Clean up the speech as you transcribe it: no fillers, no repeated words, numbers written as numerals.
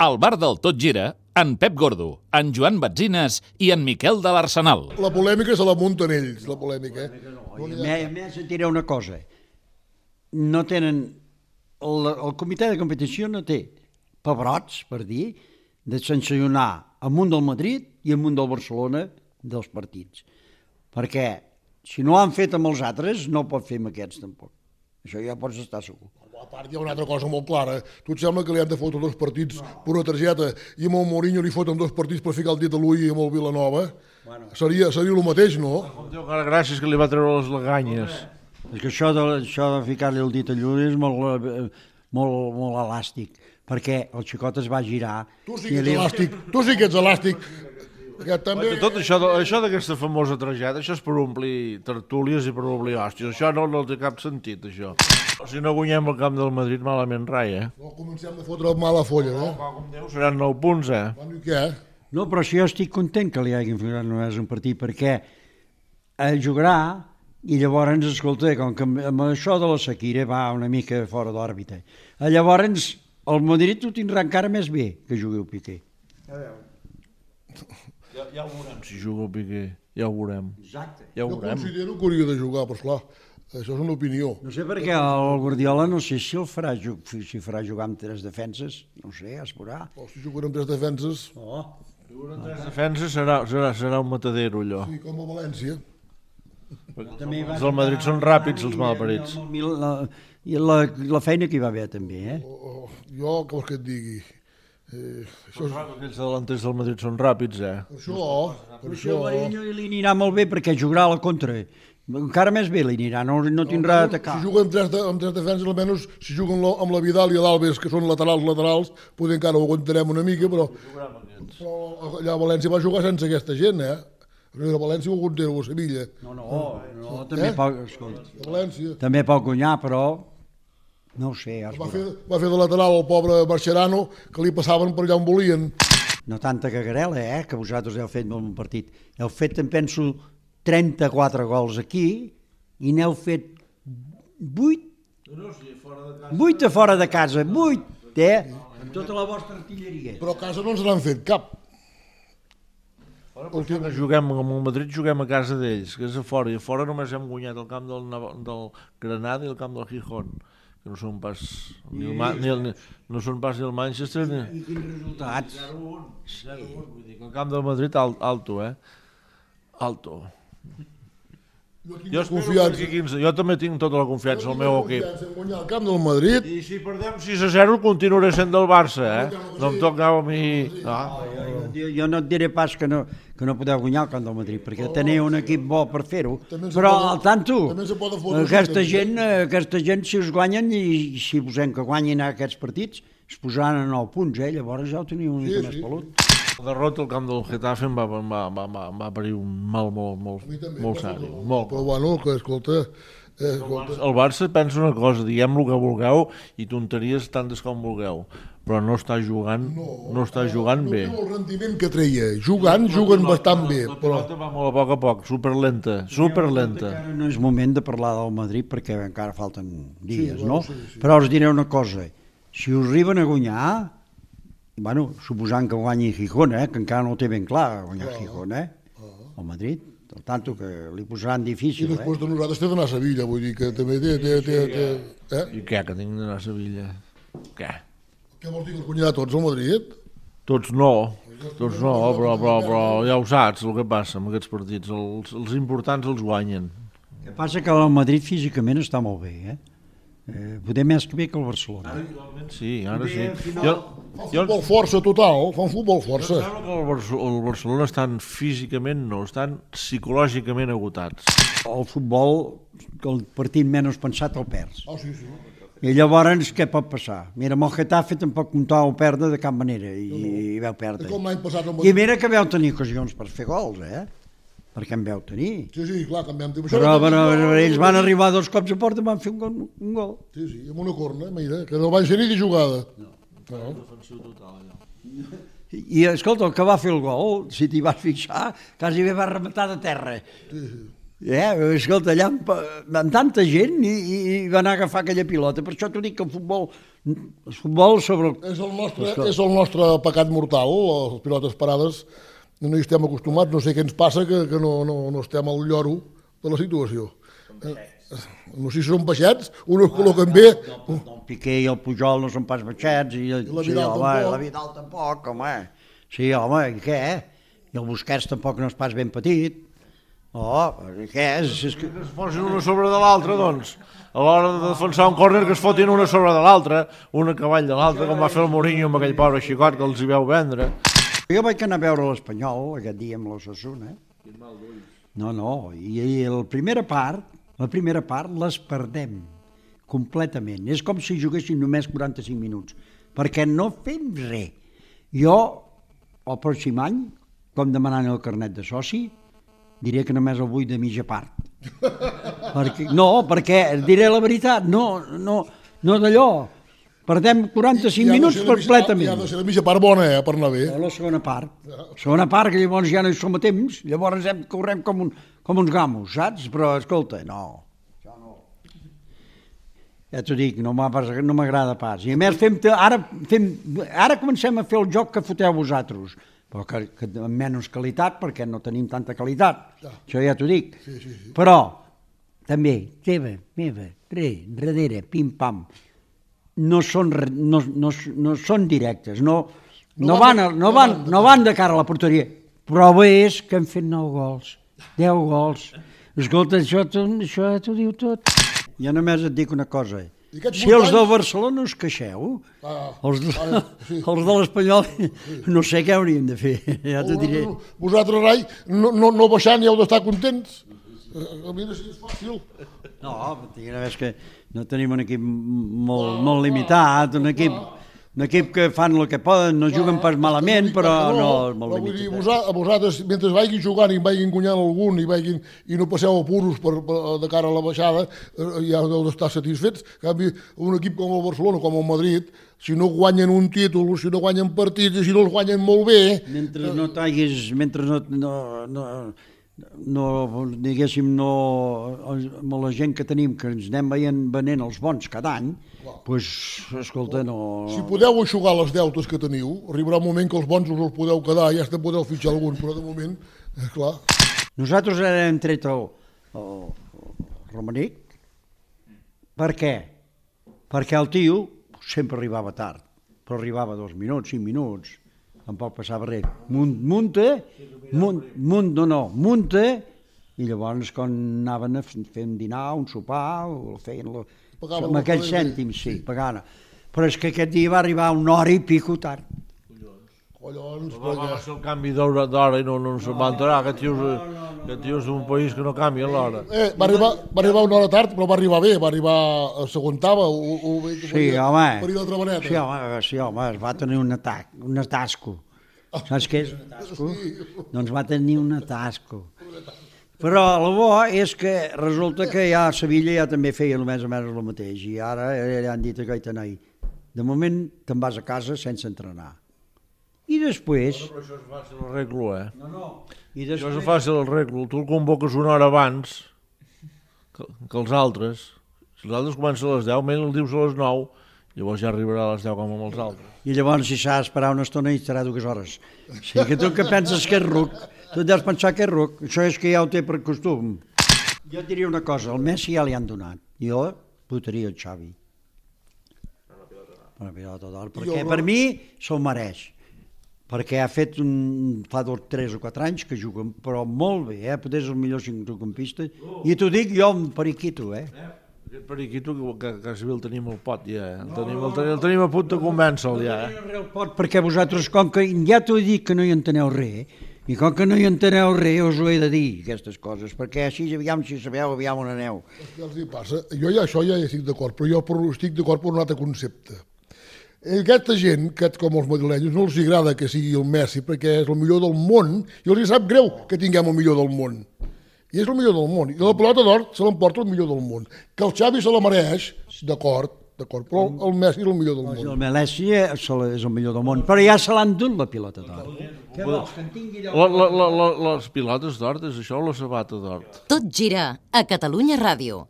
Al bar del Tot Gira, en Pep Gordo, en Joan Batzines i en Miquel de l'Arsenal. La polèmica se la munten ells, la polèmica. A més, et diré una cosa. No tenen... El comitè de competició no té pebrots, per dir, de sancionar amb un del Madrid i amb un del Barcelona dels partits. Perquè si no ho han fet amb els altres, no ho pot fer amb aquests tampoc. Això ja pots estar segur. A part hi ha una altra cosa molt clara. Tu et sembla que li han de fotre 2 partits per una targeta i amb el Mourinho li foten 2 partits per ficar el dit a l'ull i amb el Vilanova? Seria el mateix, no? Déu que gràcies que li va treure les leganyes. És que això de ficar-li el dit a l'ull és molt elàstic, perquè el xicot es va girar... Tu sí que ets elàstic. També... Tot això d'aquesta famosa targeta, això és per omplir tertúlies i per omplir hòsties. Això no té cap sentit, això. Si no guanyem el camp del Madrid, malament rai, No comencem a fotre mala folla, eh? Com Déu, seran 9 punts, Bueno, i què? No, però si jo estic content que li hagin ficat només un partit, perquè jugarà i llavors, escolta, com que amb això de la Shakira va una mica fora d'òrbita, llavors el Madrid ho tindrà encara més bé que jugui el Piqué. Ja ho veurem si juga el Piqué, ja ho veurem. Exacte. Ja ho Jo veurem. considero que hauria de jugar, però esclar, això és una opinió. No sé per què el Guardiola no sé si el farà, farà jugar amb 3 defenses, no sé, es veurà. O si juguen amb 3 defenses, Jugar amb 3 defenses serà un matadero, allò. sí, com a València. Els del Madrid són ràpids, els malparits. I la feina que hi va haver també, eh? Jo, què vols que et digui? Aquells delanters del Madrid són ràpids, Per això... Però Mourinho li anirà molt bé perquè jugarà a la contra. Encara més bé li anirà, no tindrà d'atacar. Si juguen amb 3 defenses, almenys si juguen amb la Vidal i l'Alves, que són laterals, potser encara ho aguantarem una mica, però allà a València va jugar sense aquesta gent, eh? A València ho aguanteu a Sevilla. No, també pot, escolta, A València. també pot guanyar, però no ho sé. Va fer de lateral el pobre Marcherano, que li passaven per allà on volien. No tanta cagarela, que vosaltres heu fet molt un partit. Heu fet, em penso, 34 gols aquí i n'heu fet 8 a fora de casa, 8, amb tota la vostra artilleria. Però a casa no ens n'han fet cap. Juguem amb el Madrid, juguem a casa d'ells, que és a fora, i a fora només hem guanyat el camp del Granada i el camp del Gijón, que no són pas ni el Manchester ni... I quins resultats? 0-1, vull dir que el camp del Madrid alto, alto. Jo també tinc tota la confiança al meu equip. En guanyar el camp del Madrid. I si perdem 6-0 continuaré sent del Barça, No em tocava a mi... Jo no et diré pas que no podeu guanyar el camp del Madrid, perquè teniu un equip bo per fer-ho, però al tanto, aquesta gent si us guanyen i si posem que guanyin aquests partits, es posaran a 9 punts, llavors ja ho teniu una mica més pelut. La derrota al camp del Getafe em va parir un mal molt sèrio. Però bueno, que escolta... El Barça pensa una cosa, diguem el que vulgueu i tonteries tantes com vulgueu, però no està jugant bé. No té el rendiment que treia. Juguen bastant bé. La pilota va molt a poc, superlenta. No és moment de parlar del Madrid perquè encara falten dies, no? Però us diré una cosa, si us arriben a guanyar, bueno, suposant que guanyi Gijón, que encara no ho té ben clar guanyar Gijón, el Madrid, al tanto que li posaran difícil. I després de nosaltres té d'anar a Sevilla, vull dir que també té... I què, que tinc d'anar a Sevilla? Què? Què vols dir, que els guanyarà tots al Madrid? Tots no, però ja ho saps el que passa amb aquests partits, els importants els guanyen. El que passa que el Madrid físicament està molt bé, poder més que bé que el Barcelona. Sí, ara sí. Fa un futbol força total, fa un futbol força. Em sembla que el Barcelona estan físicament, no, estan psicològicament agotats. El futbol, el partit menys pensat el perds. Sí. I llavors què pot passar? Mira, amb el Getafe tampoc comptàveu perdre de cap manera i vau perdre. Com l'any passat al I Madrid. mira que vau tenir ocasions per fer gols, perquè en vau tenir. Sí, clar, que en vam tenir. Però ells van arribar 2 cops a porta i van fer un gol. Sí, amb una corna, mira, que no van ser ni de jugada. I escolta, el que va fer el gol, si t'hi vas fixar, quasi bé va rematar de terra. Escolta, allà amb tanta gent i va anar a agafar aquella pilota. Per això t'ho dic que el futbol sobre... És el nostre pecat mortal, les pilotes parades. No hi estem acostumats, no sé què ens passa, que no estem al lloro de la situació. No sé si són baixets, uns es col·loquen bé... El Piqué i el Pujol no són pas baixets, i la Vidal tampoc, home. Sí, home, i què? I el Busquets tampoc no és pas ben petit. Què és? Que es posin una sobre de l'altra, doncs. A l'hora de defensar un córner que es fotin una sobre de l'altra, una cavall de l'altra, com va fer el Mourinho amb aquell pobre xicot que els hi veu vendre. Jo vaig anar a veure l'Espanyol aquest dia amb l'Osasuna. No, i la primera part les perdem completament. És com si juguessin només 45 minuts, perquè no fem res. Jo, el pròxim any, com demanant el carnet de soci, diré que només el vull de mitja part. Perquè diré la veritat, no d'allò. Perdem 45 minuts completament. Ja ha de ser la mitja part bona, per anar bé. La segona part. Segona part, que llavors ja no hi som a temps, llavors correm com uns gamos, saps? Però, escolta, no. Ja t'ho dic, no m'agrada pas. I a més, ara comencem a fer el joc que foteu vosaltres, però que amb menys qualitat, perquè no tenim tanta qualitat. Això ja t'ho dic. Però, també, teva, meva, darrere, pim-pam, no són directes, no van de cara a la porteria. Prova és que han fet 9 gols, 10 gols. Escolta, això t'ho diu tot. Jo només et dic una cosa. Si els del Barcelona us queixeu, els de l'Espanyol, no sé què hauríem de fer, ja t'ho diré. Vosaltres, Rai, no baixant i heu d'estar contents. A mi no és fàcil. No, és que no tenim un equip molt limitat, un equip que fan el que poden, no juguen pas malament, però no és molt limitat. A vosaltres, mentre vagin jugant i vagin guanyant algun i no passeu apuros de cara a la baixada, ja heu d'estar satisfets. En canvi, un equip com el Barcelona, com el Madrid, si no guanyen un títol, si no guanyen partits i si no els guanyen molt bé... amb la gent que tenim, que ens anem venent els bons cada any, doncs, escolta, no... Si podeu aixugar les deutes que teniu, arribarà un moment que els bons us els podeu quedar, ja podeu fitxar algun, però de moment, clar... Nosaltres hem tret el Romanic. Per què? Perquè el tio sempre arribava tard, però arribava 2 minuts, 5 minuts, tampoc passava res. Munta, i llavors quan anaven a fer un dinar, un sopar, o feien amb aquells cèntims, sí, pagant. Però és que aquest dia va arribar 1 hora i pico tard. Collons, va ser el canvi d'hora i no se'n va enterar. Aquest tio és un país que no canvia l'hora. Va arribar 1 hora tard, però va arribar bé, va arribar a següentava o bé que faria l'altra maneta. Sí, home, es va tenir un atasco. Saps què és un atasco? Doncs va tenir un atasco. Però el bo és que resulta que ja a Sevilla ja també feia més o menys el mateix, i ara ja han dit a Gaitanai, de moment te'n vas a casa sense entrenar. I després... Però això és fàcil l'arreglo, Això és fàcil l'arreglo. Tu el convoques 1 hora abans que els altres. Si els altres comencen a les 10, el dius a les 9, llavors ja arribarà a les 10 com amb els altres. I llavors, si s'ha d'esperar una estona, hi estarà 2 hores. O sigui que tu que penses que és ruc, tu deus pensar que és ruc. Això és que ja ho té per costum. Jo et diria una cosa, el Messi ja li han donat. Jo votaria el Xavi. Una pilota d'or. Perquè per mi se'l mereix. Perquè ha fet fa 3 o 4 anys que juguen, però molt bé, potser és el millor centrocampista. I t'ho dic jo, un periquito, Aquest periquito que quasi bé el tenim al pot, ja. El tenim a punt de convèncer-lo, ja. El pot, perquè vosaltres, com que ja t'ho he dit que no hi enteneu res, i com que no hi enteneu res, us ho he de dir, aquestes coses, perquè així, aviam si sabeu, aviam on aneu. Què els hi passa? Jo ja això ja hi estic d'acord, però jo estic d'acord per un altre concepte. Aquesta gent, com els madrilenyos, no els agrada que sigui el Messi perquè és el millor del món i els sap greu que tinguem el millor del món. I és el millor del món. I la pilota d'or se l'emporta el millor del món. Que el Xavi se la mereix, d'acord, d'acord, però el Messi és el millor del món. El Messi és el millor del món, però ja se l'han dut la pilota d'or. Què vols, que en tingui Les pilotes d'or, és això o la sabata d'or? Tot gira a Catalunya Ràdio.